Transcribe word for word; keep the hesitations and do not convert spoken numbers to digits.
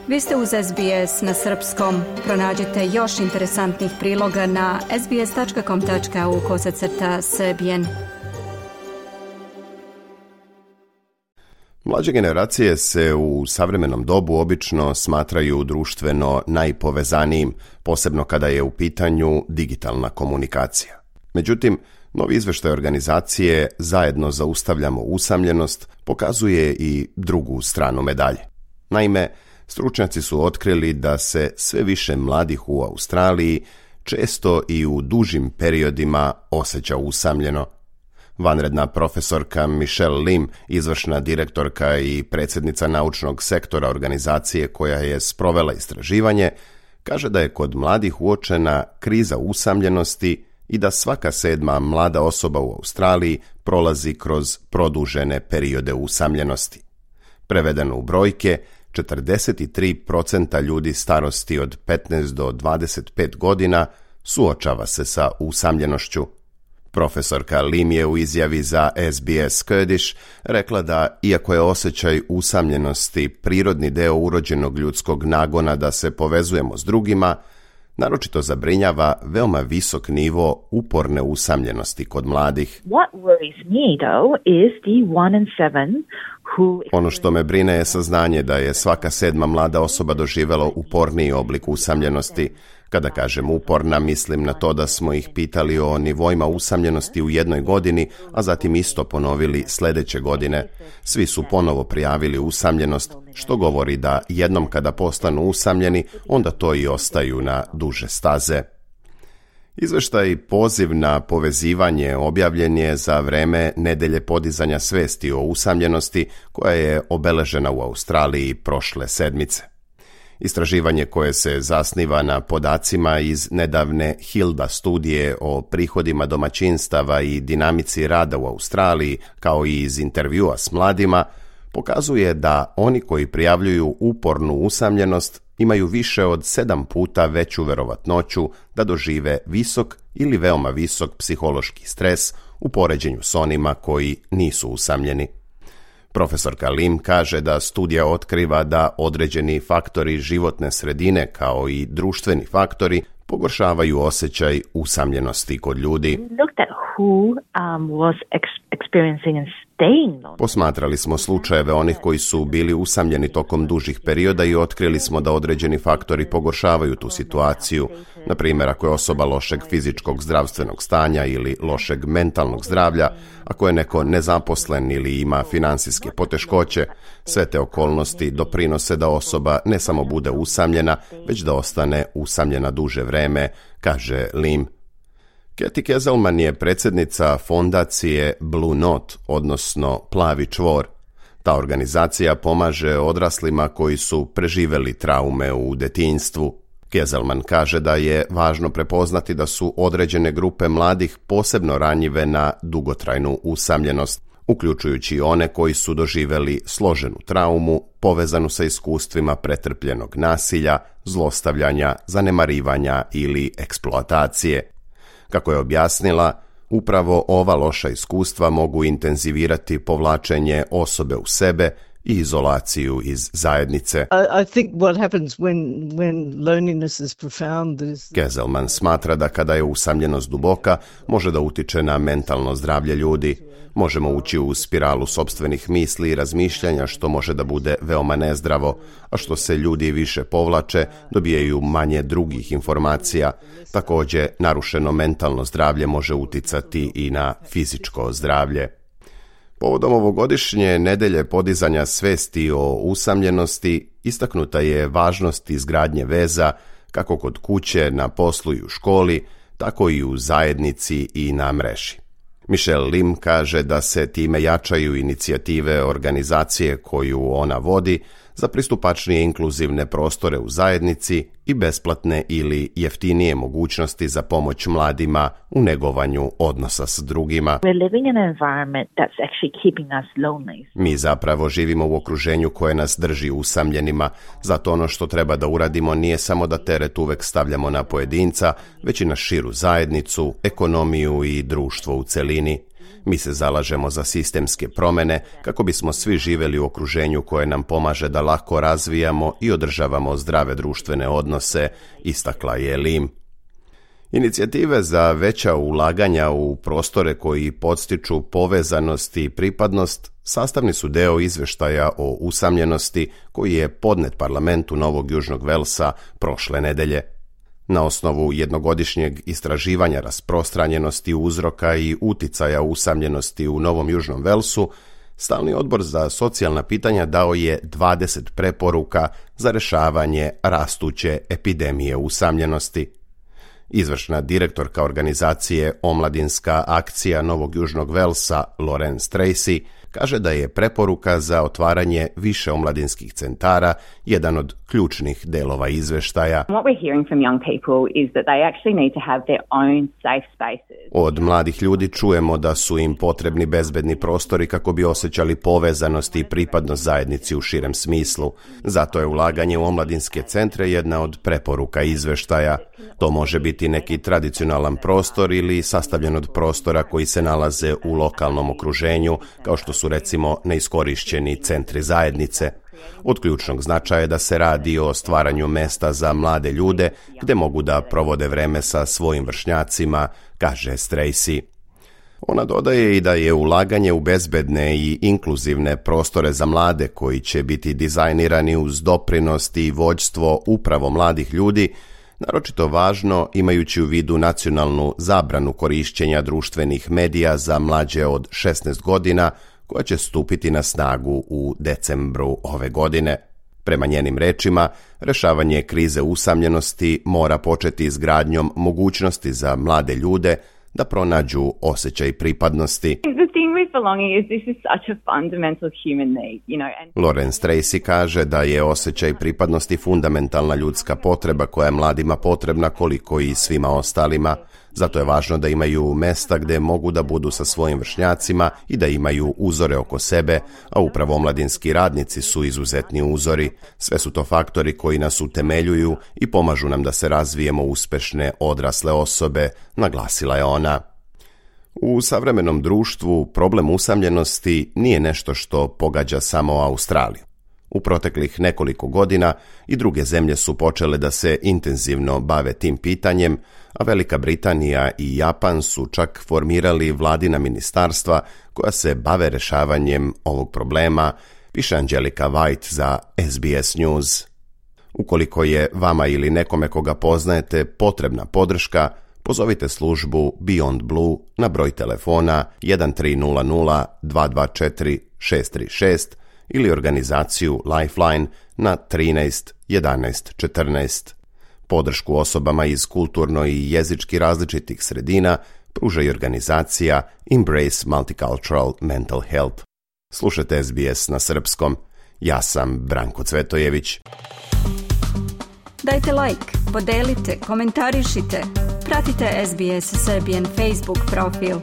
Vi ste uz S B S na srpskom. Pronađite još interesantnih priloga na sbs.com.au kosacrta srbijen. Mlađe generacije se u savremenom dobu obično smatraju društveno najpovezanijim, posebno kada je u pitanju digitalna komunikacija. Međutim, novi izveštaj organizacije Zajedno zaustavljamo usamljenost pokazuje i drugu stranu medalje. Naime, stručnjaci su otkrili da se sve više mladih u Australiji često i u dužim periodima osjeća usamljeno. Vanredna profesorka Michelle Lim, izvršna direktorka i predsjednica naučnog sektora organizacije koja je sprovela istraživanje, kaže da je kod mladih uočena kriza usamljenosti i da svaka sedma mlada osoba u Australiji prolazi kroz produžene periode usamljenosti. Prevedeno u brojke, četrdeset tri posto ljudi starosti od petnaest do dvadeset pet godina suočava se sa usamljenošću. Profesorka Lim je u izjavi za S B S Kurdish rekla da, iako je osjećaj usamljenosti prirodni deo urođenog ljudskog nagona da se povezujemo s drugima, naročito zabrinjava veoma visok nivo uporne usamljenosti kod mladih. What worries me though is the one in seven who... Ono što me brine je saznanje da je svaka sedma mlada osoba doživjela uporniji oblik usamljenosti. Kada kažem uporna, mislim na to da smo ih pitali o nivoima usamljenosti u jednoj godini, a zatim isto ponovili sljedeće godine. Svi su ponovo prijavili usamljenost, što govori da jednom kada postanu usamljeni, onda to i ostaju na duže staze. Izveštaj Poziv na povezivanje objavljen je za vreme nedelje podizanja svesti o usamljenosti koja je obeležena u Australiji prošle sedmice. Istraživanje koje se zasniva na podacima iz nedavne Hilda studije o prihodima domaćinstava i dinamici rada u Australiji, kao i iz intervjua s mladima, pokazuje da oni koji prijavljuju upornu usamljenost imaju više od sedam puta veću verovatnoću da dožive visok ili veoma visok psihološki stres u poređenju s onima koji nisu usamljeni. Profesorka Lim kaže da studija otkriva da određeni faktori životne sredine kao i društveni faktori pogoršavaju osjećaj usamljenosti kod ljudi. Posmatrali smo slučajeve onih koji su bili usamljeni tokom dužih perioda i otkrili smo da određeni faktori pogoršavaju tu situaciju. Na primjer, ako je osoba lošeg fizičkog zdravstvenog stanja ili lošeg mentalnog zdravlja, ako je neko nezaposlen ili ima financijske poteškoće, sve te okolnosti doprinose da osoba ne samo bude usamljena, već da ostane usamljena duže vreme, kaže Lim. Kathy Kezelman je predsjednica fondacije Blue Note, odnosno Plavi čvor. Ta organizacija pomaže odraslima koji su preživjeli traume u detinjstvu. Kezelman kaže da je važno prepoznati da su određene grupe mladih posebno ranjive na dugotrajnu usamljenost, uključujući one koji su doživjeli složenu traumu povezanu sa iskustvima pretrpljenog nasilja, zlostavljanja, zanemarivanja ili eksploatacije. Kako je objasnila, upravo ova loša iskustva mogu intenzivirati povlačenje osobe u sebe i izolaciju iz zajednice. I think what happens when when loneliness is profound is... Kezelman smatra da kada je usamljenost duboka, može da utiče na mentalno zdravlje ljudi. Možemo ući u spiralu sopstvenih misli i razmišljanja, što može da bude veoma nezdravo, a što se ljudi više povlače, dobijaju manje drugih informacija. Također, narušeno mentalno zdravlje može uticati i na fizičko zdravlje. Povodom ovogodišnje nedelje podizanja svesti o usamljenosti istaknuta je važnost izgradnje veza kako kod kuće, na poslu i u školi, tako i u zajednici i na mreži. Michelle Lim kaže da se time jačaju inicijative organizacije koju ona vodi za pristupačnije inkluzivne prostore u zajednici i besplatne ili jeftinije mogućnosti za pomoć mladima u negovanju odnosa s drugima. Mi zapravo živimo u okruženju koje nas drži usamljenima, zato ono što treba da uradimo nije samo da teret uvek stavljamo na pojedinca, već i na širu zajednicu, ekonomiju i društvo u celini. Mi se zalažemo za sistemske promjene kako bismo svi živjeli u okruženju koje nam pomaže da lako razvijamo i održavamo zdrave društvene odnose, istakla je Lim. Inicijative za veća ulaganja u prostore koji podstiču povezanost i pripadnost sastavni su deo izvještaja o usamljenosti koji je podnet parlamentu Novog Južnog Velsa prošle nedelje. Na osnovu jednogodišnjeg istraživanja rasprostranjenosti uzroka i uticaja usamljenosti u Novom Južnom Velsu, Stalni odbor za socijalna pitanja dao je dvadeset preporuka za rješavanje rastuće epidemije usamljenosti. Izvršna direktorka organizacije Omladinska akcija Novog Južnog Velsa, Lorraine Tracy, kaže da je preporuka za otvaranje više omladinskih centara jedan od ključnih delova izveštaja. Od mladih ljudi čujemo da su im potrebni bezbedni prostori kako bi osjećali povezanost i pripadnost zajednici u širem smislu. Zato je ulaganje u omladinske centre jedna od preporuka izveštaja. To može biti neki tradicionalan prostor ili sastavljen od prostora koji se nalaze u lokalnom okruženju, kao što su recimo neiskorišćeni centri zajednice. Od ključnog značaja je da se radi o stvaranju mesta za mlade ljude gde mogu da provode vreme sa svojim vršnjacima, kaže Tracy. Ona dodaje i da je ulaganje u bezbedne i inkluzivne prostore za mlade koji će biti dizajnirani uz doprinost i vođstvo upravo mladih ljudi naročito važno imajući u vidu nacionalnu zabranu korišćenja društvenih medija za mlađe od šesnaest godina koja će stupiti na snagu u decembru ove godine. Prema njenim rečima, rešavanje krize usamljenosti mora početi izgradnjom mogućnosti za mlade ljude da pronađu osjećaj pripadnosti. Lorraine Tracy kaže da je osjećaj pripadnosti fundamentalna ljudska potreba koja je mladima potrebna koliko i svima ostalima. Zato je važno da imaju mesta gde mogu da budu sa svojim vršnjacima i da imaju uzore oko sebe, a upravo omladinski radnici su izuzetni uzori. Sve su to faktori koji nas utemeljuju i pomažu nam da se razvijemo uspešne odrasle osobe, naglasila je ona. U savremenom društvu problem usamljenosti nije nešto što pogađa samo Australiju. U proteklih nekoliko godina i druge zemlje su počele da se intenzivno bave tim pitanjem, a Velika Britanija i Japan su čak formirali vladina ministarstva koja se bave rešavanjem ovog problema, piše Angelika White za S B S News. Ukoliko je vama ili nekome koga poznajete potrebna podrška, pozovite službu Beyond Blue na broj telefona jedan tri nula nula dva dva četiri šest tri šest ili organizaciju Lifeline na trinaest jedanaest četrnaest. Podršku osobama iz kulturno i jezički različitih sredina pruža i organizacija Embrace Multicultural Mental Health. Slušajte S B S na srpskom. Ja sam Branko Cvetojević. Dajte like, podelite, komentarišite. Pratite S B S Serbian Facebook profil.